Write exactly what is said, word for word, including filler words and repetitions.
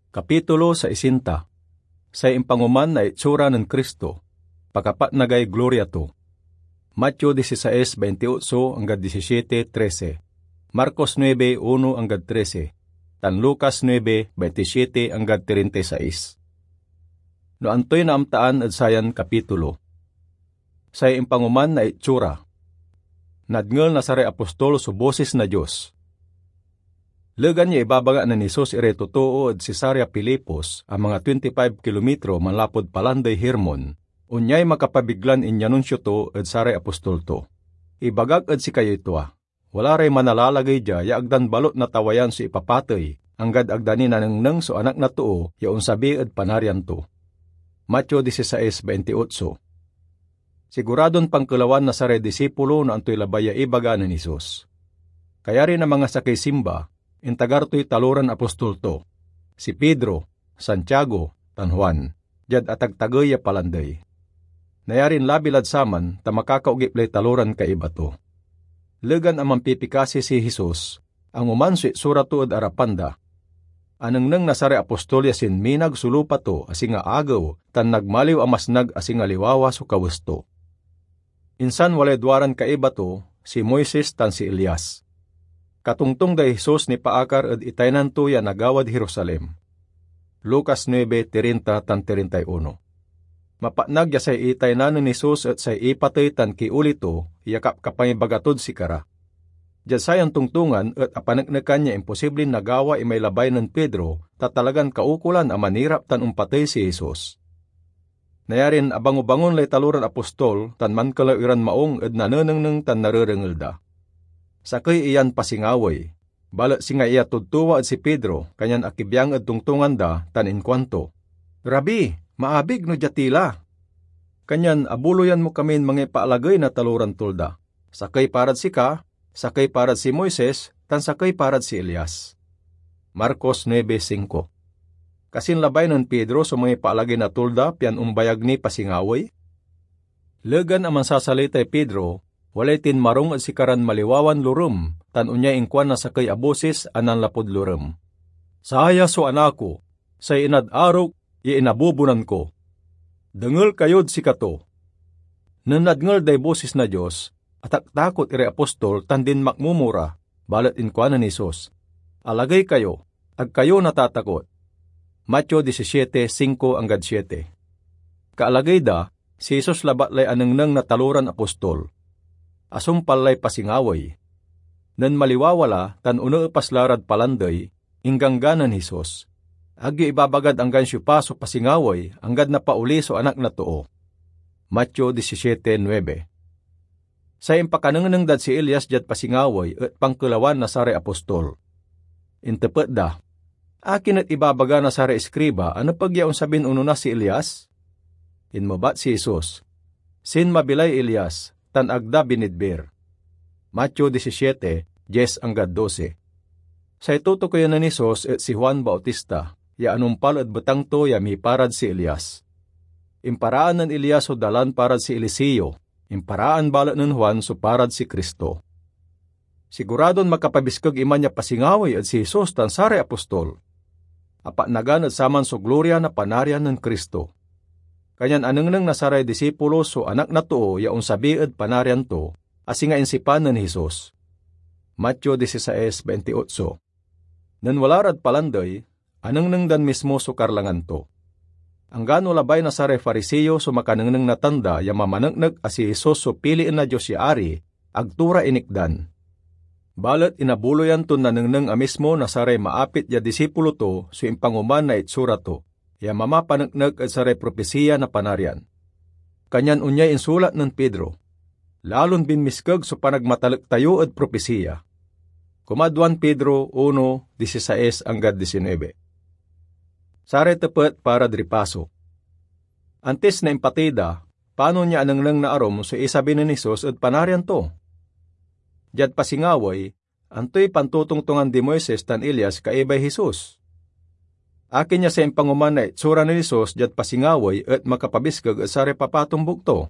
Kapitulo sesenta. Say impangoman na itsura nen Cristo, pakapatnagay gloria to. Mateo dieciséis veintiocho anggad diecisiete trece, Marcos nuebe uno anggad trece, tan Lucas nuebe veintisiete anggad treinta y seis. No antoy naamtaan ed sayan kapitulo? Say impangoman na itsura. Nadngel na saray apostol so bosis na Dios. Legan ya ibabaga nen Jesus iray totoo ed Cesarea Filipos, a manga twenty-five kilometro manlapud Palandey Hermon, onyay makapabiglan inyanunsio to ed saray apostol to. Ibagak ed sikayoy tua, wala ray manalalagey dia ya ag dan balot natawayan so ipapatey, anggad ag da ni nanengneng so Anak na Too ya onsabi ed Panarian to. Mateo dieciséis veintiocho. Siguradon pankelawan na saray disipulo no antoy labay ya ibaga nen Jesus. Kayari na mangasakey simba, intagar toy taloran apostol to, si Pedro, Santiago, tan Juan, diad atagtagey ya palandey. Nayarin labi lad saman ta makakaogip lay taloran kaiba to. Legan a manpipikasi si Jesus, angoman so itsura to ed arapan da. Anengneng na saray apostol ya sinminag so lupa to a singa agew tan nagmaliw a masnag a singa liwawa so kawes to. Insan walay duaran kaiba to, si Moises tan si Elias. Katongtong day Jesus nipaakar ed itaynan to ya nagawad Jerusalem. Lucas nuebe treinta tan treinta y uno. Mapatnag ya say itaynan nen Jesus et say ipatey tan kioli to ya kapkapangibaga tod sikara. Diad sayan tongtongan et apaneknekan ya imposiblin nagawa imay labay nen Pedro, ta talagan kaukolan a manirap tan ompatey si Jesus. Nayarin abangobangon lay taloran apostol tan mankelaw iran maung ed nanenengneng tan narerengel da. Sakey iyan pasingawey, balet singa iya tudtuwa ed si Pedro, kanyan akibiang ed tongtongan da tan inkuanto, "Rabi, maabig no dia ti la. Kanyan abuloyan mo kamin mangipaalagey na taloran tolda, sakey parad sika, sakey parad si Moises, tan sakey parad si Elias." Marcos nuebe cinco. Kasin labay nen Pedro so mangipaalagey na tolda pian ombayag ni pasingawey? Legan a mansasalitay Pedro, walay tinmarong ed sikaran maliwawan lorem, tan onyay inkuan na sakey a bosis a nanlapud lorem, "Saya so Anak ko, say inad arok ya inabubonan ko. Dengel kayod sikato." Nen nadngel day bosis na Dios, ataktakot iray apostol tan dinmakmomo ra, balet inkuanen Jesus, "Alagey kayo, ag kayo natatakot." Mateo diecisiete cinco anggad siete. Kaalagey da, si Jesus labat lay anengneng na taloran apostol. Asumpal lay pasingawey. Nen maliwawa la tan oneepas la rad palandey, ingganggan nen Jesus, "Ag yo ibabagad anggan siopa so pasingawey, anggad napaoli so Anak na Too." Mateo diecisiete nuebe. Say impakanengneng dad si Elias diad pasingawey et pankelawan na saray apostol. Intepet da, "Akin et ibabaga na saray iskriba a nepeg ya onsabin onona si Elias?" Inmebat si Jesus, "Sinmabi lay Elias, tan ag da binidbir." Mateo diecisiete diez anggad doce. Say tutukoyan nen Jesus et si Juan Bautista, ya anumpal ed betang to ya miparad si Elias. Imparaan nen Elias so dalan parad si Eliseo, imparaan balet nen Juan so parad si Cristo. Siguradon makapabiskeg iman ya pasingawey ed si Jesus tan saray apostol. Apatnagan ed saman so gloria na Panarian nen Cristo. Kanyan anengneng na saray disipulo so Anak na Too ya onsabi ed Panarian to, a singa insipan nen Jesus. Mateo dieciséis veintiocho. Nen wala rad palandey, anengneng dan mismo so karlangan to. Anggano labay na saray Fariseo so makanengneng na tanda ya mamaneknek a si Jesus so pilien na Dios ya Ari, ag to ra inikdan. Balet inabuloyan ton nanengneng a mismo na saray maapit ya disipulo to so impangoman na itsura to, ya mamapaneknek ed saray propisiya na Panarian. Kanyan onyay insulat nen Pedro, "Lalon binmiskeg so panagmatalek tayo ed propisiya." Kumadwan Pedro uno dieciséis anggad diecinuebe. Saray tepet parad ripaso. Antis na impatey da, panon ya anengneng na arum so isabi nen Jesus ed Panarian to? Diad pasingawey, antoy pantotongtongan di Moises tan Elias kaibay Jesus? Akin ya say impangoman na itsura nen Jesus diad pasingawey et makapabiskeg ed saray papatombuk to?